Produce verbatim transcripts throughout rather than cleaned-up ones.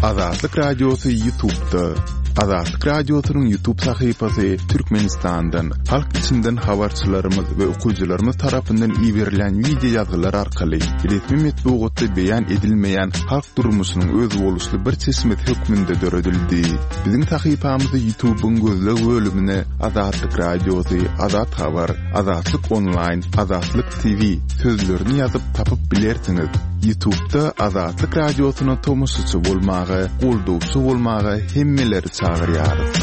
Azatlyk Radiosy YouTube'da. Azatlyk Radiosynyň YouTube sahypasy Türkmenistandan, halk içinden habarçylarymyz we okyjylarymyz tarapyndan iberilen wideo ýazgylar arkaly resmi metbugatda beýan edilmeýän halk durmuşynyň özboluşly bir çeşmesi hökmünde döredildi. Biziň sahypamyzy YouTube'yň gözleg bölümine Azatlyk Radiosy, Azat Habar, Azatlyk Online, Azatlyk T V sözlerini ýazyp tapyp bilersiňiz. YouTube'da Azatlyk Radiosyna tomaşaçy bolmaga, goldawçy bolmaga hemmeleri çagyrýarys.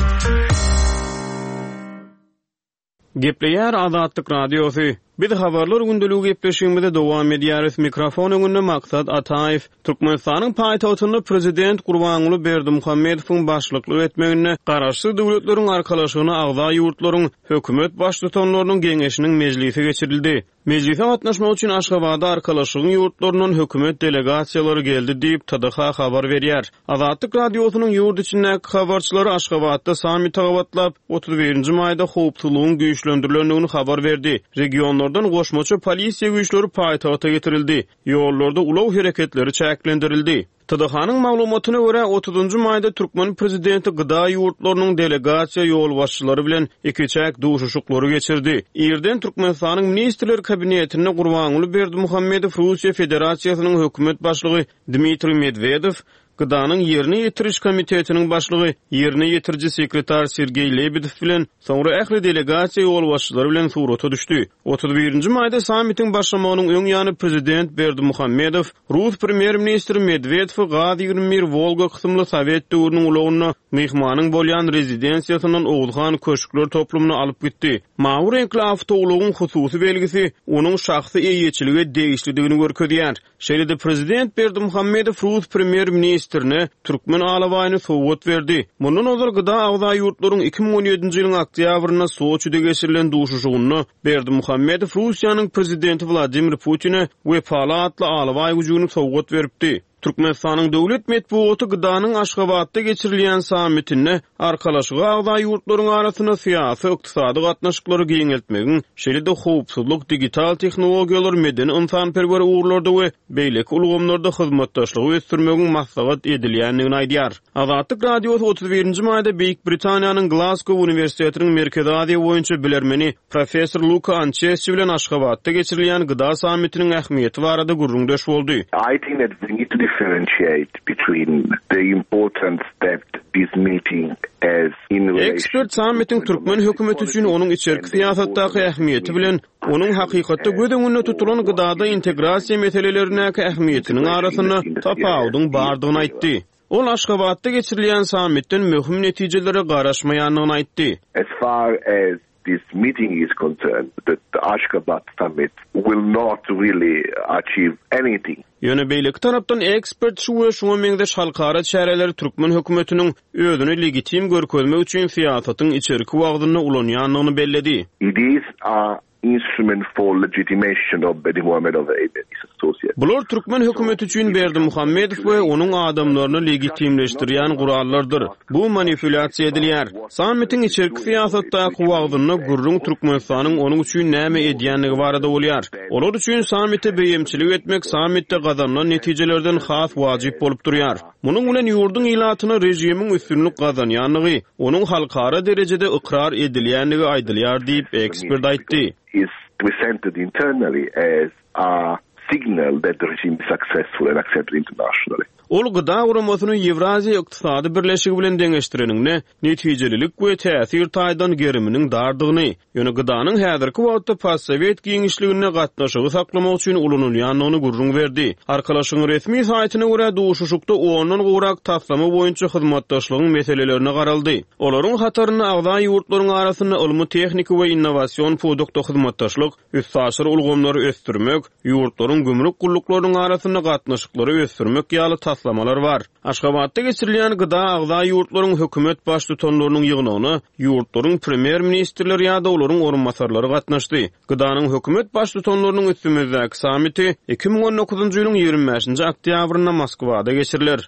Gepleýär Azatlyk Radiosy. Biz habarlar gündeligi gepleşigimize dowam edýäris. Mikrofon öňünde Maksat Ataýew. Türkmenistanyň paýtagtynda prezident Gurbanguly Berdimuhamedowyň başlyklyk etmeginde Garaşsyz Döwletleriň Arkalaşygyna agza ýurtlaryň hökümet baştutanlarynyň geňeşiniň mejlisi geçirildi. Mejlise gatnaşmak üçin Aşgabada Arkalaşygyň ýurtlaryndan hökümet delegasiýalary geldi diýip T D H habar berýär. Azatlyk Radiosynyň ýurt içindäki habarçylary Aşgabatda sammite gabatlap, otuz birinji maýda howpsuzlygyň güýçlendirilendigini habar berdi. Regionlardan goşmaça polisiýa güýçleri paýtagta getirildi. Ýollarda ulag hereketleri çäklendirildi. T D H-nyň maglumatyna görä otuzunjy maýda Türkmen prezidenti G D A ýurtlarynyň delegasiýa ýolbaşçylary bilen iki çäk duşuşyklary geçirdi. Irden Türkmenistanyň Ministrler Kabinetinde Gurbanguly Berdimuhamedow Russiýa Federasiýasynyň hökümet başlygy Dmitriý Medwedew, G D A-nyň ýerine ýetiriş komitetiniň başlygy, ýerine ýetiriji sekretar Sergeý Lebedew bilen soňra ähli delegasiýa ýolbaşçylary bilen surata düşdi. Otuz birinji maýda sammitiň başlamagynyň öň ýany prezident Berdimuhamedow Rus premýer-ministri Medwedewi Gaz ýigrimi bir Wolga kysymly Sowet döwrüniň ulagynda myhmanyň bolýan rezidensiýasyndan Oguzhan köşkler toplumyna alyp gitdi. Mawy reňkli awtoulagyň hususy belgisi onuň şahsy eýeçilige degişlidigini görkezýär. Şeýle-de prezident Berdimuhamedow Rus premýer-ministrine Türkmen alabaýyny sowgat berdi. Mundan ozal G D A agza ýurtlaryň iki müň on ýedinji ýylyň oktýabrynda Soçide geçirilen duşuşygynda Berdimuhamedow Russiýanyň prezidenti Wladimir Putine Wepaly atly alabaý güjügini sowgat beripdi. Türkmenistanyň döwlet metbugaty G D A-nyň Aşgabatda geçirilýän sammitinde Arkalaşyga agza ýurtlaryň arasynda syýasy, ykdysady gatnaşyklary giňeltmegiň, şeýle-de howpsuzlyk, digital tehnologiýalar, medeni ynsanperwer ugurlarda we beýleki ulgamlarda hyzmatdaşlygy ösdürmegiň maslahat edilýändigini aýdýar. Azatlyk Radiosy otuz birinji maýda Beýik Britaniýanyň Glasgow Uniwersitetiniň Merkezi Aziýa boýunça bilermeni professor Luka Ançesçi bilen Aşgabatda geçirilýän G D A sammitiniň ähmiýeti barada gürrüňdeş boldy. I think that we need to differentiate between the importance that this meeting has in relation Ekspert sammitiň türkmen hökümeti üçin onuň içerki syýasatdaky ähmiýeti bilen onuň hakykatda göz öňünde tutulan gıdada integrasiýa meselelerindäki ähmiýetiniň arasynda tapawudyň bardygyny aýtdy. Ol Aşgabatda geçirilýän sammitden möhüm netijelere garaşmaýandygyny aýtdy. As far as this meeting is concerned, the Ashgabat summit will not really achieve anything. Ýöne beýleki tarapdan ekspert şu we şuňa meňzeş halkara çäreleri türkmen hökümetiniň özüni legitim görkezmek üçin syýasatyň içerki wagtynda ulanýandygyny belledi. It is a instrument for legitimation of Berdimuhamedow and his associates. Bular türkmen hökümeti üçin Berdimuhamedow we onuň adamlaryny legitimleşdirýän gurallardyr. Bu manipulýasiýa edilýär. Sammitiň içerki syýasatdaky wagtynda gürrüň Türkmenistanyň onuň üçin näme edýändigi barada bolýar. Olar üçin sammite beýemçilik etmek sammitde gazanylan netijelerden has wajyp bolup durýar. Munuň bilen ýurduň ilatyna režimiň üstünlik gazanýandygy, onuň halkara derejede ykrar edilýändigi aýdylýar diýip ekspert aýtdy. Is presented internally as a signal that the regime is successful and accepted internationally. Ol gıda guramasyny Ýewraziýa Ykdysady Birleşigi bilen deňeşdireninde netijelilik we täsir taýdan geriminiň dardygyny, ýöne gıdanyň häzirki wagtda postsovet giňişliginde gatnaşygy saklamak üçin ulanylýandygyny gürrüň berdi. Arkalaşygyň resmi saýtyna görä duşuşykda ondan gowrak taslama boýunça hyzmatdaşlygyň meselelerine garaldy. Olaryň hatarynda agza ýurtlaryň arasynda ylmy, tehniki we innowasion pudakda hyzmatdaşlyk, üstaşyr ulgamlary ösdürmek, ýurtlaryň gümrük gulluklarynyň arasynda gatnaşyklary ösdürmek ýaly taslamalar bar. Aşgabatda geçirilýän gıda agza ýurtlaryň hökümet baştutanlarynyň ýygnagyna ýurtlaryň premýer-ministrleri ýa-da olaryň orunbasarlary gatnaşdy. Gıdanyň hökümet baştutanlarynyň üstümizdäki sammiti iki müň on dokuzunjy ýylyň ýigrimi bäşinji oktýabrynda Moskwada geçiriler.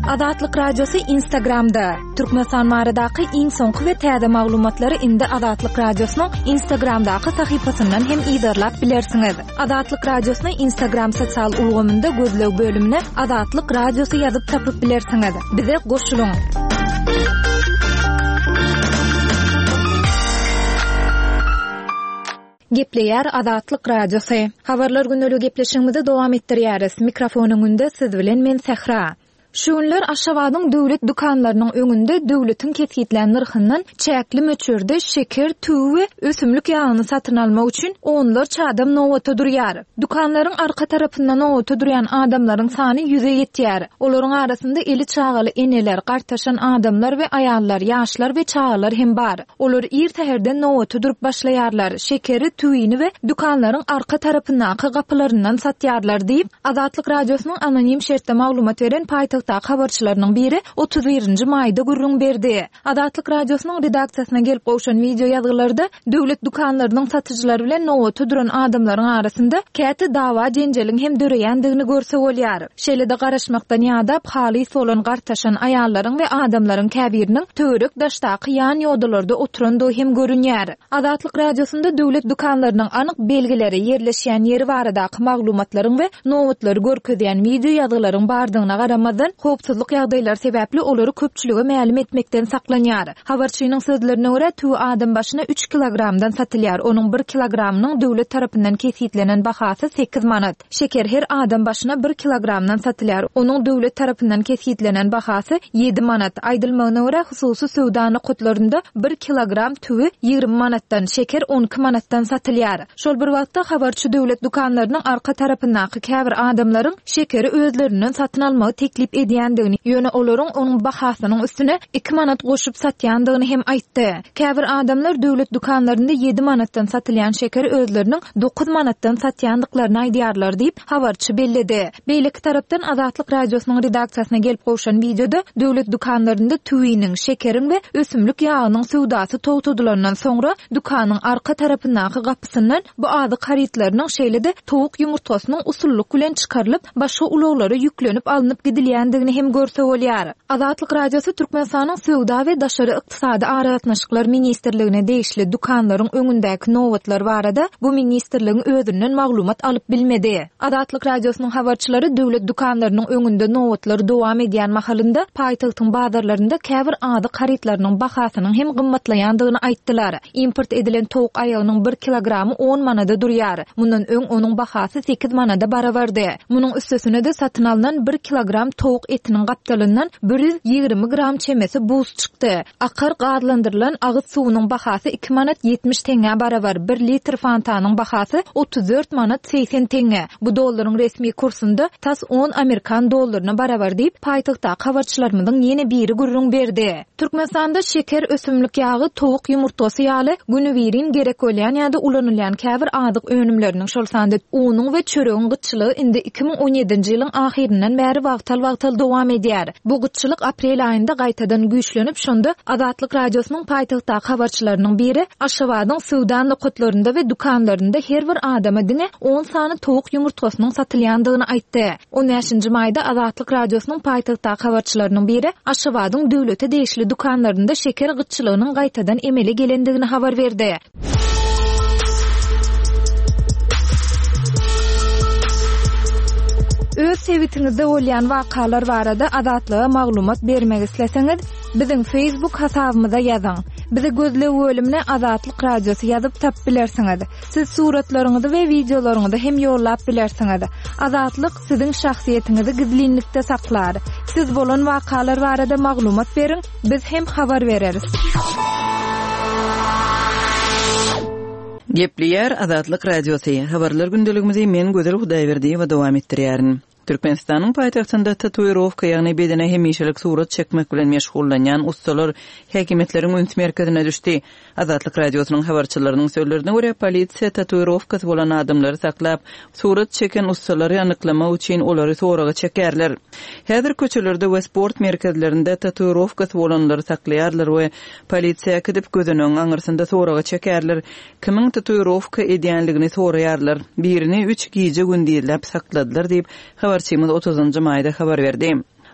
Azatlyk Radiosy Instagramda. Türkmenistan baradaky iň soňky we täze maglumatlary indi Azatlyk Radiosynyň Instagramdaky sahypasyndan hem yzarlap bilersiňiz. Azatlyk Radiosyny Instagram sosial ulgamynda gözleg bölümine Azatlyk Radiosy ýazyp tapyp bilersiňiz. Bize goşulyň. Gepleýär Azatlyk Radiosy. Habarlar gündelik gepleşigimizi dowam etdirýäris. Mikrofonyň öňünde siz bilen men Sähra. Şu günler Aşgabadyň döwlet dükanlarynyň öňünde döwletiň kesgitlän nyrhyndan çäkli möçberde şeker, tüwi we ösümlik ýagyny satyn almak üçin onlarça adam nobata durýar. Dükanlaryň arka tarapynda nobata durýan adamlaryň sany ýüze ýetýär. Olaryň arasynda eli çagaly eneler, gartaşan adamlar we aýallar, ýaşlar we çagalar hem bar. Olar ir säherden nobata durup başlaýarlar. Şekeri, tüwini we dükanlaryň arka tarapyndaky gapylaryndan satýarlar diýip, Azatlyk Radiosynyň anonim şertde maglumat beren paýtagtdaky habarçylarynyň biri otuz birinji maýda gürrüň berdi. Azatlyk Radiosynyň redaksiýasyna gelip gowşan video ýazgylarda döwlet dükanlarynyň satyjylary bilen nobata duran adamlaryň arasynda käte dawa jenjeliň hem döreýändigini görse bolýar. Şeýle-de garaşmakdan ýadap halys bolan gartaşan aýallaryň we adamlaryň käbiriniň töwerek daşdaky ýan ýodalarda oturandygy hem görünýär. Azatlyk Radiosynda döwlet dükanlarynyň anyk belgileri, ýerleşýän ýeri baradaky maglumatlaryň we nobatlary görkezýän video ýazgylaryň bardygyna garamazdan, howpsuzlyk ýagdaýlary sebäpli olary köpçülige mälim etmekden saklanýar. Habarçynyň sözlerine görä, tüwi adam başyna üç kilogramdan satylýar. Onuň bir kilogramynyň döwlet tarapyndan kesgitlenen bahasy sekiz manat. Şeker her adam başyna bir kilogramdan satylýar. Onuň döwlet tarapyndan kesgitlenen bahasy ýedi manat. Aýdylmagyna görä, hususy söwda nokatlarynda bir kilogram tüwi ýigrimi manatdan, şeker on iki manatdan satylýar. Şol bir wagtda habarçy döwlet dükanlarynyň arka tarapyndaky käbir adamlaryň şekeri özlerinden satyn almagy teklip edýändigini, ýöne olaryň onuň bahasynyň üstüne iki manat goşup satýandygyny hem aýtdy. Käbir adamlar döwlet dükanlarynda ýedi manatdan satylýan şekeri özleriniň dokuz manatdan satýandyklaryny aýdýarlar diýip, habarçy belledi. Beýleki tarapdan Azatlyk Radiosynyň redaksiýasyna gelip gowşan videoda döwlet dükanlarynda tüwiniň, şekeriň we ösümlik ýagynyň söwdasy togtadylandan soňra dükanyň arka tarapyndaky gapysyndan bu azyk harytlarynyň şeýle-de towuk ýumurtgasynyň usullyk bilen çykarylyp başga ulaglara ýüklenip alnyp gidilýändigini hem görse bolýar. Azatlyk Radiosy Türkmenistanyň Söwda we Daşary Ykdysady Aragatnaşyklar Ministrligine degişli dükanlaryň öňündäki nobatlar barada bu ministrligiň özünden maglumat alyp bilmedi. Azatlyk Radiosynyň habarçylary döwlet dükanlarynyň öňünde nobatlar dowam edýän mahalynda paýtagtyň bazarlarynda käbir azyk harytlarynyň bahasynyň hem gymmatlaýandygyny aýtdylar. Import edilen towuk aýagynyň bir kilogramy on manada durýar. Mundan öň onuň bahasy sekiz manada barabardy. Munuň üstesine-de satyn alnan bir kilogram towuk etiniň gapdalyndan bir ýüz ýigrimi gram çemesi buz çykdy. Akar gazlandyrylan agyz suwunyň bahasy iki manat ýetmiş teňňä barabar, bir litr fantanyň bahasy otuz dört manat segsen teňňe. Bu dollaryň resmi kursunda tas on amerikan dollaryna barabar diýip, paýtagtdaky habarçylarymyzyň ýene biri gürrüň berdi. Türkmenistanda şeker, ösümlik ýagy, towuk ýumurtgasy ýaly günübirin gerek bolýan ýa-da ulanylýan käbir azyk önümleriniň, şol sanda unuň we çöregiň gytçylygy indi iki müň on ýedinji ýylyň ahyryndan bäri wagtal-wagtal dowam edýär. Bu gytçylyk aprel aýynda gaýtadan güýçlenip, şonda Azatlyk Radiosynyň paýtagtdaky habarçylarynyň biri Aşgabadyň söwda nokatlarynda we dükanlarynda her bir adama diňe on sany towuk ýumurtgasynyň satylýandygyny aýtdy. On bäşinji maýda Azatlyk Radiosynyň paýtagtdaky habarçylarynyň biri Aşgabadyň döwlete degişli dükanlarynda şeker gytçylygynyň gaýtadan emele gelendigini habar berdi. Öz sebitiňizde bolýan wakalar barada Azatlyga maglumat bermek isleseňiz, biziň Facebook hasabymyza ýazyň. Bizi gözleg bölümine Azatlyk Radiosy ýazyp tapyp bilersiňiz. Siz suratlaryňyzy we videolaryňyzy hem ýollap bilersiňiz. Azatlyk siziň şahsyýetiňizi gizlinlikde saklar. Siz bolan wakalar barada maglumat beriň, biz hem habar bereris. Gepleýär Azatlyk Radiosy. Habarlar gündeligimizi men Gözel Hudaýberdiýewa dowam etdirýärin. Türkmenistanyň paýtagtynda tatuirowka, ýagny bedene hemişelik surat çekmek bilen meşgullanýan ustalar häkimiýetleriň üns merkezine düşdi. Azatlyk Radiosynyň habarçylarynyň sözlerine görä, polisiýa tatuirowkasy bolan adamlary saklap, surat çeken ustalary anyklamak üçin olary soraga çekerler. Häzir köçelerde we sport merkezlerinde tatuirowkasy bolanlary saklaýarlar we polisiýa gidip gözüniň aňyrsynda soraga çekerler. Kimiň tatuirowka edýänligini soraýarlar. Birini üç gije gündizläp sakladylar diýip, habarçymyz otuzynjy maýda habar berdi.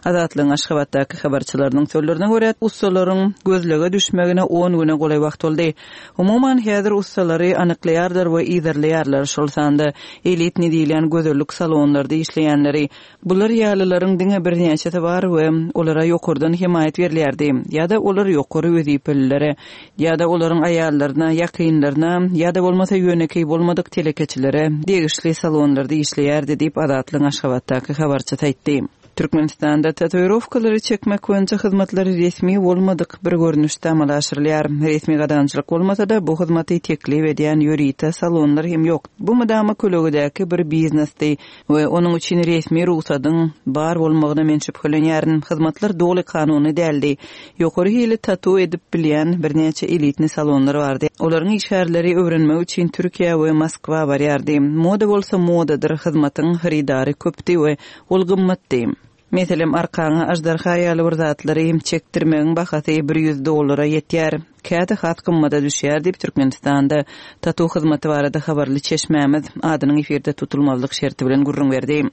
Azatlygyň Aşgabatdaky habarçylarynyň sözlerine görä, ussalaryň gözlege düşmegine on güne golaý wagt boldy. Umuman, häzir ussalary anyklaýarlar we yzarlaýarlar, şol sanda elitni diýilýän gözellik salonlarda işleýänleri. Bular ýalylaryň diňe birnäçesi bar we olara ýokardan hemaýat berilýärdi. Ýa-da olar ýokary wezipelilere, ýa-da olaryň aýallaryna, ýakynlaryna, ýa-da bolmasa ýönekeý bolmadyk telekeçilere degişli salonlarda işleýärdi diýip Azatlygyň Aşgabatdaky habarçysy aýtdy. Türkmenistanda tatuirowkalary çekmek boýunça hyzmatlar resmi bolmadyk bir görnüşde amala aşyrylýar. Resmi gadagançylyk bolmasa-da bu hyzmaty teklip edýän ýörite salonlar hem ýok. Bu mydama kölegedäki bir biznesdi we onuň üçin resmi rugsadyň bar bolmagyna men şübhelenýärin. Hyzmatlar doly kanuny däldi. Ýokary hili tatu edip bilýän birnäçe elitni salonlar bardy. Olaryň işgärleri öwrenmek üçin Türkiýe we Moskwa barýardy. Moda bolsa modadyr, hyzmatyň hyrydary köpdi we ol gymmatdy. Meselem, arkaňa ajdarha ýaly bir zatlary çekdirmegiň bahasy bir ýüz dollara ýetýär. Käte has gymmada düşýär diýip Türkmenistanda tatu hyzmaty barada habarly çeşmämiz adynyň efirde tutulmazlyk şerti bilen gürrüň berdi.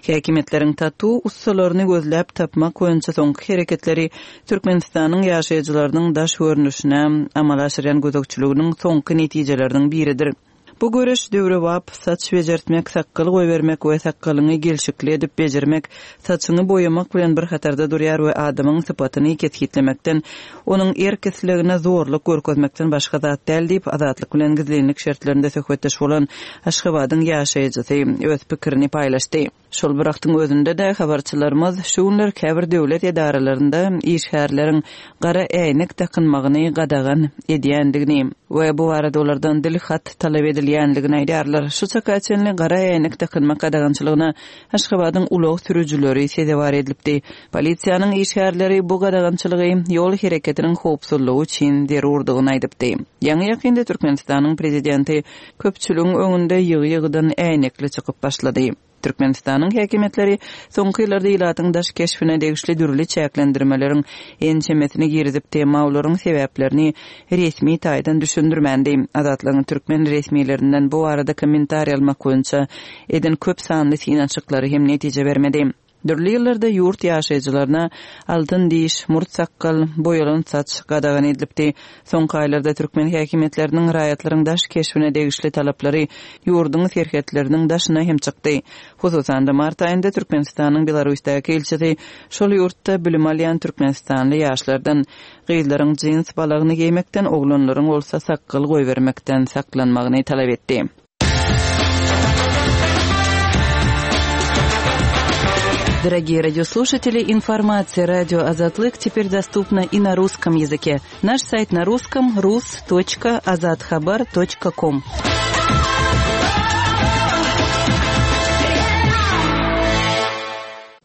Häkimiýetleriň tatu ussalaryny gözläp tapmak boýunça soňky hereketleri Türkmenistanyň ýaşaýjylarynyň daş görnüşine amala aşyrýan gözegçiliginiň soňky netijeleriniň biridir. Bu göreş döwrebap saç bejertmek, sakgal goýbermek we sakgalyňy gelşikli edip bejermek, saçyňy boýamak bilen bir hatarda durýar we adamyň sypatyny kesgitlemekden, onuň erk islegine zorluk görkezmekden başga zat däl diýip Azatlyk bilen gizlinlik şertlerinde söhbetdeş bolan Aşgabadyň ýaşaýjysy öz pikirini paýlaşdy. Şol bir wagtyň özünde-de habarçylarymyz şu günler käbir döwlet edaralarynda işgärleriň gara äýnek dakynmagyny gadagan edýändigini we bu barada olardan dil hat talap edilýändigini aýdýarlar. Şu çaka çenli gara äýnek dakynmak gadagançylygyna Aşgabadyň ulag sürüjileri sezewar edilipdi. Polisiýanyň işgärleri bu gadagançylygy ýol hereketiniň howpsuzlygy üçin zerurdygyny aýdypdy. Ýaňy ýakynda Türkmenistanyň prezidenti köpçüligiň öňünde ýygy-ýygydan äýnekli çykyp başlady. Türkmenistanyň häkimiýetleri soňky ýyllarda ilatyň daş keşbine degişli dürli çäklendirmeleriň ençemesini girizipdi, emma olaryň sebäplerini resmi taýdan düşündirmändi. Azatlygyň türkmen resmilerinden bu barada kommentariý almak boýunça eden köp sanly synanyşyklary hem netije bermedi. Dürli ýyllarda ýurt ýaşaýjylaryna altyn diş, murt sakgal, boýalan saç gadagan edilipdi. Soňky aýlarda türkmen häkimiýetleriniň raýatlaryň daş keşbine degişli talaplary ýurduň serhetleriniň daşyna hem çykdy. Hususan-da mart aýynda Türkmenistanyň Belarusdaky ilçisi şol ýurtda bilim alýan türkmenistanly ýaşlardan gyzlaryň jins balagyny geýmekden, oglanlaryň bolsa sakgal goýbermekden saklanmagyny talap etdi. Дорогие радиослушатели, информация радио Азатлык теперь доступна и на русском языке. Наш сайт на русском рус точка азатхабар точка ком.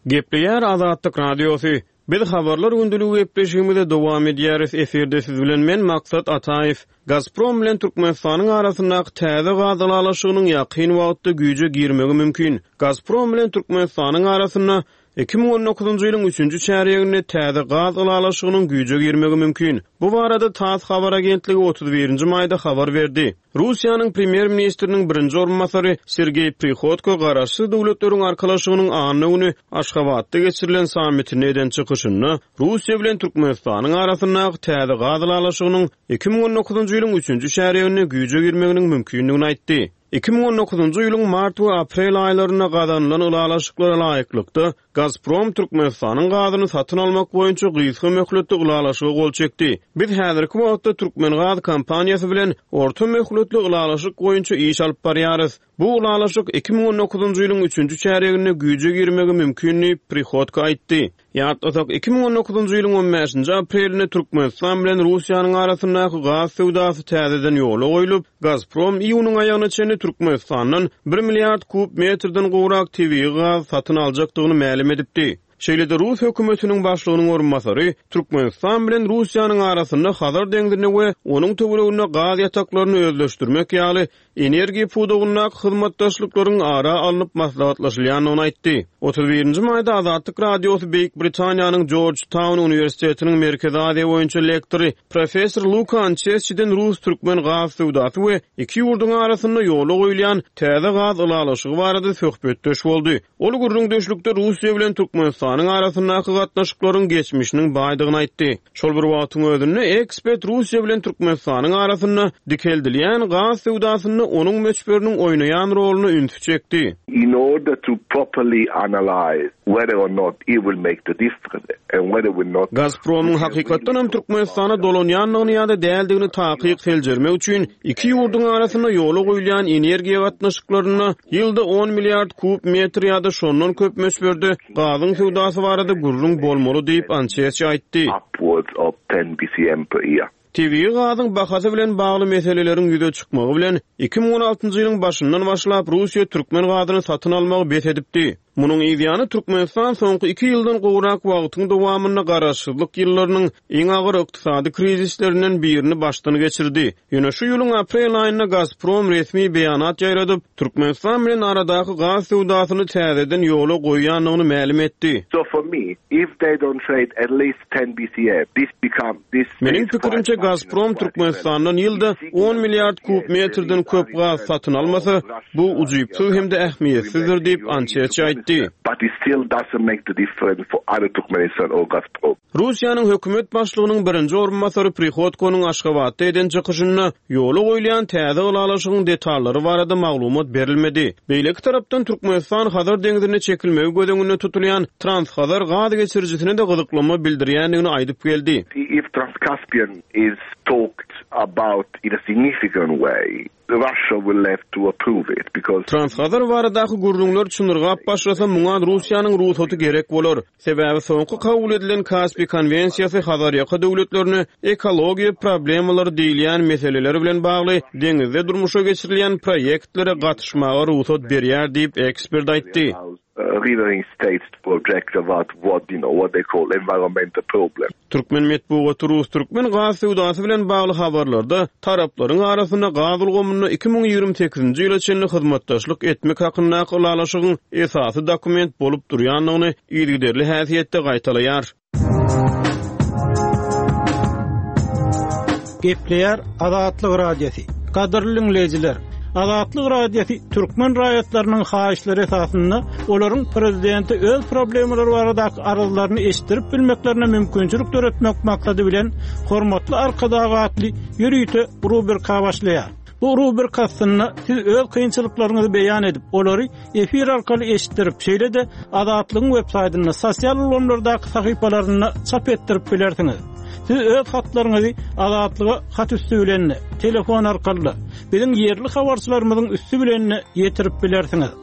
Gepleýär Azatlyk Radiosy. Biz habarlar gündeligi gepleşigimize dowam edýäris. Efirde siz bilen men Maksat Ataýew. Gazprom bilen Türkmenistanyň arasyndaky täze gaz ylalaşygynyň ýakyn wagtda güýje girmegi mümkin. Gazprom bilen Türkmenistanyň arasynda iki müň on dokuzynjy ýylyň üçünji çärýeginde täze gaz ylalaşygynyň güýje girmegi mümkin. Bu barada TASS habar agentligi otuz birinji maýda habar berdi. Russiýanyň premýer-ministriniň birinji orunbasary Sergeý Prihodko Garaşsyz Döwletleriň Arkalaşygynyň anna güni Aşgabatda geçirilen sammitinde eden çykyşynda Russiýa bilen Türkmenistanyň arasyndaky täze gaz ylalaşygynyň iki müň on dokuzynjy ýylyň üçünji çärýeginde güýje girmeginiň mümkindigini aýtdy. Iki müň on dokuzynjy ýylyň mart we aprel aýlarynda gazanylan ylalaşyklara laýyklykda Gazprom Türkmenistanyň gazyny satyn almak boýunça gysga möhletli ylalaşyga gol çekdi. Biz häzirki wagtda Türkmen gaz kompaniýasy bilen orta möhletli ylalaşyk boýunça iş alyp barýarys. Bu ylalaşyk iki müň on dokuzynjy ýylyň üçünji çärýeginde güýje girmegi mümkin diýip Prihodko aýtdy. Ýatlasak, iki müň on dokuzynjy ýylyň on bäşinji aprelinde Türkmenistan bilen Russiýanyň arasyndaky gaz söwdasy täzeden ýola goýlup, Gazprom iýunyň aýagyna çenli Türkmenistandan bir milliard kub metrden gowrak tebigy gaz satyn aljakdygyny mälim edipdi. Şeýle-de Rus hökümetiniň başlygynyň orunbasary Türkmenistan bilen Russiýanyň arasynda Hazar deňzinde we onuň töwereginde gaz ýataklaryny özleşdirmek ýaly energiýa pudagyndaky hyzmatdaşlyklaryň ara alnyp maslahatlaşylýandygyny aýtdy. Otuz birinji maýda Azatlyk Radiosy Beýik Britaniýanyň Georgetown uniwersitetiniň Merkezi Aziýa boýunça lektory professor Luka Ançesçiden rus-türkmen gaz söwdasy we iki ýurduň arasynda ýola goýulýan täze gaz ylalaşygy barada söhbetdeş boldy. Ol gürrüňdeşlikde Russiýa bilen Türkmenistanyň arasyndaky gatnaşyklaryň geçmişiniň baýdygyny aýtdy. Şol bir wagtyň özünde ekspert Russiýa bilen Türkmenistanyň arasynda dikeldilýän gaz söwdasynda onuň möçberiniň oýnaýan roluny ünsi çekdi. In order to properly analyze whether or not it will make the difference and whether will not Gazpromyň hakykatdan hem Türkmenistana dolanýandygyny ýa-da däldigini takyk seljermek üçin iki ýurduň arasynda ýola goýulýan energiýa gatnaşyklarynda ýylda on milliard kub metr ýa-da şondan köp möçberde gazyň söwdasy barada gürrüň bolmaly diýip Ançesçi aýtdy. Upwards of ten B C M per year. Tebigy gazyň bahasy bilen bagly meseleleriň ýüze çykmagy bilen iki müň on altynjy ýylyň başyndan başlap Russiýa türkmen gazyny satyn almagy bes edipdi. Munuň ýany Türkmenistan soňky iki ýyldan gowrak wagtyň dowamynda garaşsyzlyk ýyllarynyň iň agyr ykdysady krizislerinden birini başdan geçirdi. Ýöne şu ýylyň aprel aýynda Gazprom resmi beýanat ýaýradyp, Türkmenistan bilen aradaky gaz söwdasyny täzeden ýola goýýandygyny mälim etdi. So for me, if they don't trade at least ten B C M, this become this Meniň is pikirimçe quite Gazprom marginal, quite Türkmenistandan ýylda irrelevant. on milliard kub metrden köp gaz satyn almasa, bu ujypsyz hem-de ähmiýetsizdir diýip Ançesçi aýtdy. But it still doesn't make the difference for either Turkmenistan or Gazprom. Russiýanyň hökümet başlygynyň birinji orunbasary Prihodkonyň Aşgabatda eden çykyşynda ýola goýulýan täze ylalaşygyň detallary barada maglumat berilmedi. Beýleki tarapdan Türkmenistan Hazar deňzine çekilmegi göz öňünde tutulýan Transhazar gaz geçirijisine de gyzyklama bildirýändigini aýdyp geldi. If Trans-Caspian is talked about in a significant way, Russia will have to approve it because Transhazar baradaky gürrüňler çynyrgap başlasa, muňa Russiýanyň rugsaty gerek bolar. Sebäbi soňky kabul edilen Kaspi konwensiýasy Hazarýaka döwletlerine ekologiýa problemalary diýilýän meseleler bilen bagly deňizde durmuşa geçirilýän proýektlere gatyşmaga rugsat berýär diýip ekspert aýtdy. Riverine states to object about what, you know, what they call environmental problem. Türkmen metbugaty Rus-Türkmen gaz söwdasy bilen bagly habarlarda taraplaryň arasynda gaz ulgamynda iki müň ýigrimi sekizinji ýyla çenli hyzmatdaşlyk etmek hakyndaky ylalaşygyň esasy dokument bolup durýandygyny yzygiderli häsiýetde gaýtalaýar. Gepleýär Azatlyk Radiosy. Gadyrly dinleýjiler, Azatlyk Radiosy türkmen raýatlarynyň haýyşlary esasynda olaryň prezidenti öz problemalary baradaky arzlaryny eşitdirip bilmeklerine mümkinçilik döretmek maksady bilen hormatly Arkadag atly ýörite rubrika başlaýar. Bu rubrika aslynda siz öz kynçylyklaryňyzy beýan edip, olary efir arkaly eşitdirip, şeýle-de Azatlygyň web saýtynda, sosial ulgamlardaky sahypalarynda çap etdirip bilersiňiz. Siz öz hatlaryňyzy Azatlyga hat üstü bilen, telefon arkaly, biziň ýerli habarçylarymyzyň üstü bilen ýetirip bilersiňiz.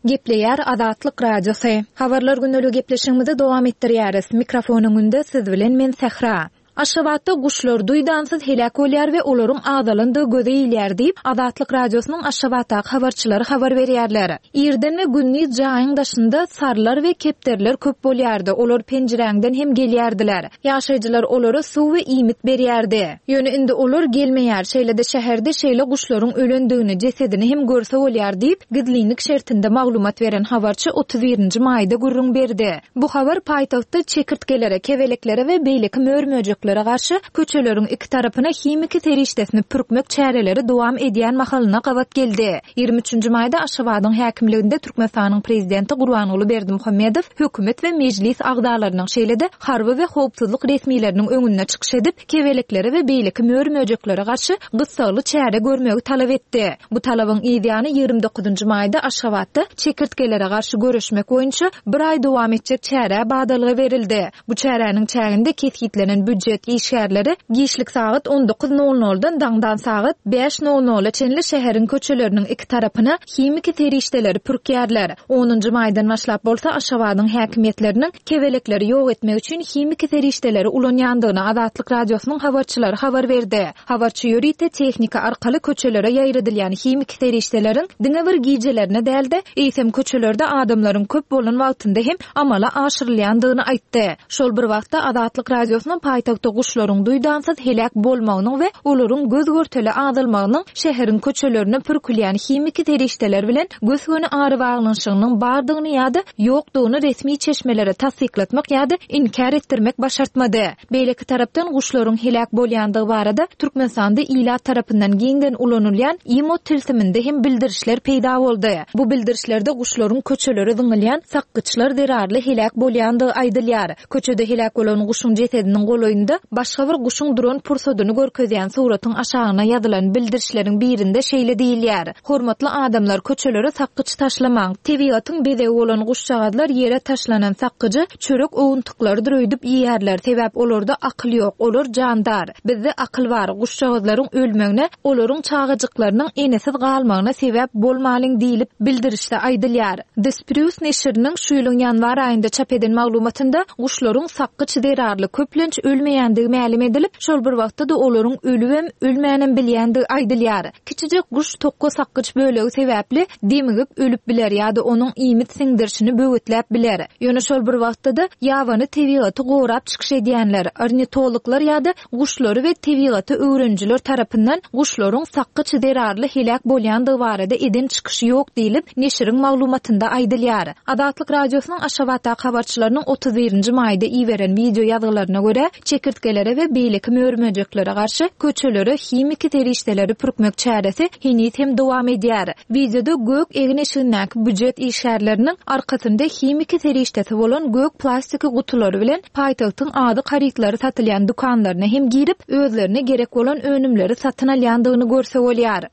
Gepleýär Azatlyk Radiosy. Habarlar günlügi gepleşigimizi dowam etdirýäris. Mikrofonyň önünde siz bilen men Sähra. Aşgabatda guşlar duýdansyz heläk bolýar we olaryň azalandygy göze ilýär diýip, Azatlyk Radiosynyň Aşgabatdaky habarçylary habar berýärler. Irden we gündiz jaýyň daşynda sarlar we kepderler köp bolýardy. Olar penjiräňden hem gelýärdiler. Ýaşaýjylar olara suw we iýmit berýärdi. Ýöne indi olar gelmeýär. Şeýle-de şäherde şeýle guşlaryň ölendigini, jesedini hem görse bolýar diýip, gizlinlik şertinde maglumat beren habarçy otuz birinji maýda gürrüň berdi. Bu habar paýtagtda çekirtgelere, kebeleklere we beýleki mör-möjeklere garşy köçeleriň iki tarapyna himiki serişdesini pürkmek çäreleri dowam edýän mahalyna gabat geldi. Ýigrimi üçünji maýda Aşgabadyň häkimliginde Türkmenistanyň prezidenti Gurbanguly Berdimuhamedow hökümet we mejlis agzalarynyň şeýle-de harby we howpsuzlyk resmileriniň öňünde çykyş edip, kebeleklere we beýleki mör-möjeklere garşy gyssagly çäre görmegi talap etdi. Bu talabyň ýany ýigrimi dokuzynjy maýda Aşgabatda çekirtgelere garşy görüşmek boýunça bir aý dowam etjek çäre badalga berildi. Bu çäräniň çäginde kesgitlenen büdjet işgärleri giçlik sagat on dokuz nol noldan daňdan sagat bäş nol nola çenli şäheriň köçeleriniň iki tarapyna himiki serişdeleri pürkýärler. Onunjy maýdan başlap bolsa Aşgabadyň häkimiýetleriniň kebelekleri ýok etmek üçin himiki serişdeleri ulanýandygyny Azatlyk Radiosynyň habarçylary habar berdi. Habarçy ýörite tehnika arkaly köçelere ýaýradylýan himiki serişdeleriň diňe bir gijelerine däl-de, eýsem köçelerde adamlaryň köp bolan wagtynda hem amala aşyrylýandygyny aýtdy. Şol bir wagtda Azatlyk Radiosynyň paýtagtyň Paýtagtda guşlaryň duýdansyz heläk bolmagynyň we olaryň göz görtele azalmagynyň şäheriň köçelerine pürkülýän himiki serişdeler bilen gös-göni arabaglanyşygynyň bardygyny ýa-da ýokdugyny resmi çeşmelere tassyklatmak ýa-da inkär etdirmek başartmady. Beýleki tarapdan guşlaryň heläk bolýandygy barada Türkmenistanda ilat tarapyndan giňden ulanylýan IMO tilsiminde hem bildirişler peýda boldy. Bu bildirişlerde guşlaryň köçelere zyňylýan sakgyçlar zerarly heläk bolýandygy aýdylýar. Köçede heläk bolan guşuň jesediniň golaýynda başga bir guşuň duran pursadyny görkezýän suratyň aşagyna ýazylan bildirişleriň birinde şeýle diýilýär. Hormatly adamlar köçelere sakgyç taşlamaň. Tebigatyň bezegi bolan guşjagazlar ýere taşlanan sakgyjy çörek owuntyklarydyr öýdüp iýerler. Sebäp olarda akyl ýok, olar jandar. Bizde akyl bar. Guşjagazlaryň ölmegine, olaryň çagajyklarynyň enesiz galmagyna sebäp bolmalyň diýilip bildirişde aýdylýar. The Spruce neşiriniň şu ýylyň ýanwar aýynda çap eden maglumatynda guşlaryň sakgyç zerarly köplenç ölmeýändigi mälim edilip, şol bir wagtda-da olaryň ölübem, ölmänem bilýändigi aýdylýar. Kiçijek guş tokga sakgyç bölegi sebäpli demigip ölüp biler ýa-da onuň iýmit siňdirişini böwetläp biler. Ýöne şol bir wagtda-da ýabany tebigaty gorap çykyş edýänler, ornitologlar ýa-da guşlary we tebigaty öwrenijiler tarapyndan guşlaryň sakgyç zerarly heläk bolýandygy barada eden çykyşy ýok diýilip, neşiriň maglumatynda aýdylýar. Azatlyk Radiosynyň Aşgabatdaky habarçylarynyň otuz birinji maýda iberen video ýazgylaryna görä, çekirtgelere we beýleki mör-möjeklere garşy köçelere himiki serişdeleri pürkmek çäresi heniz hem dowam edýär. Videoda gök egin-eşigindäki büjet işgärleriniň arkasynda himiki serişdesi bolan gök plastiki gutulary bilen paýtagtyň azyk harytlary satylýan dükanlaryna hem girip, özlerine gerek bolan önümleri satyn alýandygyny görse bolýar.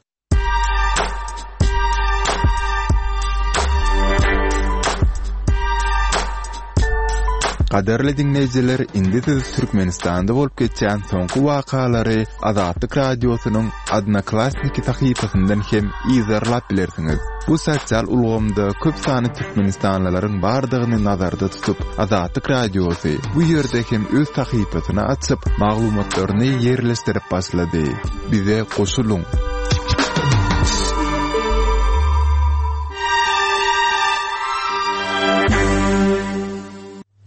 Gadyrly dinleýjiler, indi siz Türkmenistanda bolup geçýän soňky wakalary Azatlyk Radiosynyň Odnoklassniki sahypasyndan hem yzarlap bilersiňiz. Bu sosial ulgamda köp sany türkmenistanlylaryň bardygyny nazarda tutup, Azatlyk Radiosy bu ýerde hem öz sahypasyny açyp, maglumatlaryny ýerleşdirip başlady. Bize goşulyň.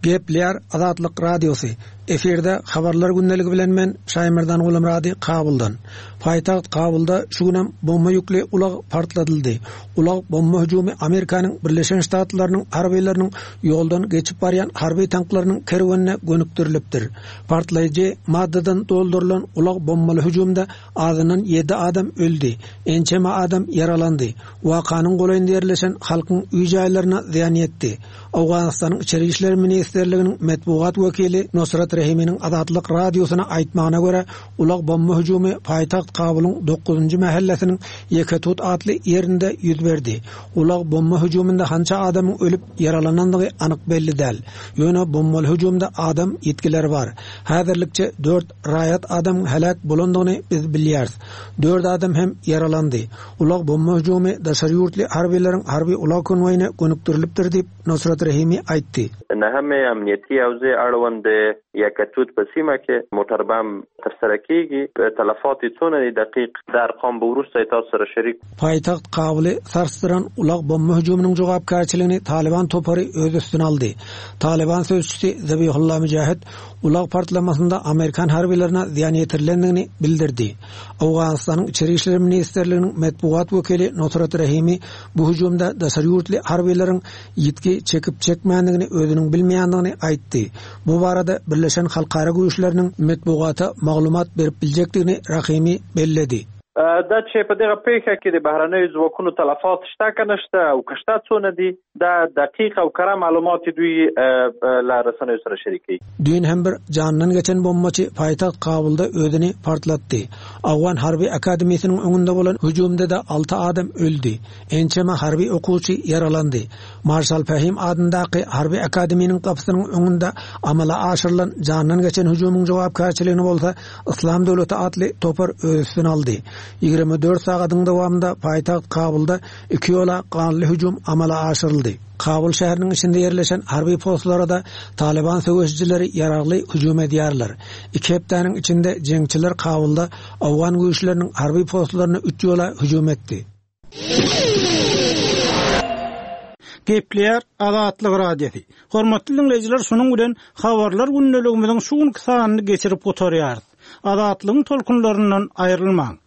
Gepleýär Azatlyk Radiosy. Efirde habarlar gündeligi bilen men Şaýmerdan Gulamrady Kabuldan. Paýtagt Kabulda şu günem bomba ýükli ulag partladyldy. Ulag bomba hüjümi Amerikanyň Birleşen Ştatlarynyň harbylarynyň ýoldan geçip barýan harby tanklarynyň kerwenine gönükdirilipdir. Partlaýjy maddadan doldurylan ulag bombaly hüjümde azyndan ýedi adam öldi. Ençeme adam ýaralandy. Wakanyň golaýynda ýerleşen halkyň öý jaýlaryna zyýan ýetdi. Owganystanyň Içeri İşler Ministrliginiň metbugat wekili Nusrat Rehiminiň Azatlyk Radiosyna aýtmagyna görä, ulag bomba hüjümi paýtagt Kabulyň dokuzynjy mahallesiniň Ýeketut atly ýerinde ýüz berdi. Ulag bomba hüjüminde hança adamyň ölüp ýaralanandygy anyk belli däl. Ýöne bombaly hüjümde adam ýitgileri bar. Häzirlikçe dört raýat adam heläk bolandygyny biz bilýäris. Dört adam hem ýaralandy. Ulag bomba hüjümi daşary ýurtly harbylaryň harby ulag konwoýuna gönükdirilipdir diýip Nusrat Rehimi aýtdy. نهمې امنیتي حوزې اړوند د یکتوت په سیمه کې موټر بم ترسره کیږي. تلفات یې څونه دي دقیق دا ارقام به وروسته تاسو سره شریک. Paýtagt Kabuly sarsdyran ulag bomba hüjüminiň jogapkärçiligini Taliban topary öz üstüne aldy. Taliban sözçüsi Zabihullah Mücahit ulag partlamasynda Amerikan harbylaryna zyýan ýetirilendigini bildirdi. Owganystanyň Içeri İşler Ministrliginiň metbugat wekili Nusrat Rehimi bu hüjümde daşary ýurtly harbylaryň ýitgi çekip çekmändigini özüniň bilmeýändigini aýtdy. Bu barada Birleşen Halkara Güýçleriniň metbugata maglumat berip biljekdigini Rahimi belledi. دا چې په دغه پیښه کې د بهرنیو ځواکونو تلفات شته که نشته او که شته څونه دي، دا دقیق او کره معلومات دوی له رسنیو سره شریکوي. Düýn hem bir jandan geçen bombaçy paýtagt Kabulda özüni partlatdy. Awgan Harby Akademiýasynyň öňünde bolan hüjümde de alty adam öldi. Ençeme harby okuwçy ýaralandy. Marşal Fahim adyndaky Harby Akademiýanyň gapysynyň öňünde amala aşyrylan jandan geçen hüjümiň jogapkärçiligini bolsa Islam Döwleti atly topar öz üstüne aldy. Ýigrimi dört sagadyň dowamynda paýtagt Kabulda iki ýola ganly hüjüm amala aşyryldy. Kabul şäheriniň içinde ýerleşen harby postlara da Taliban söweşijileri ýaragly hüjüm edýärler. Iki hepdäniň içinde jeňçiler Kabulda Awgan güýçleriniň harby postlaryna üç ýola hüjüm etdi. Gepleýär Azatlyk Radiosy. Hormatly diňleýjiler, şunuň bilen habarlar gündeligimiziň şu günki sanyny geçirip gutarýarys. Azatlygyň tolkunlaryndan aýrylmaň.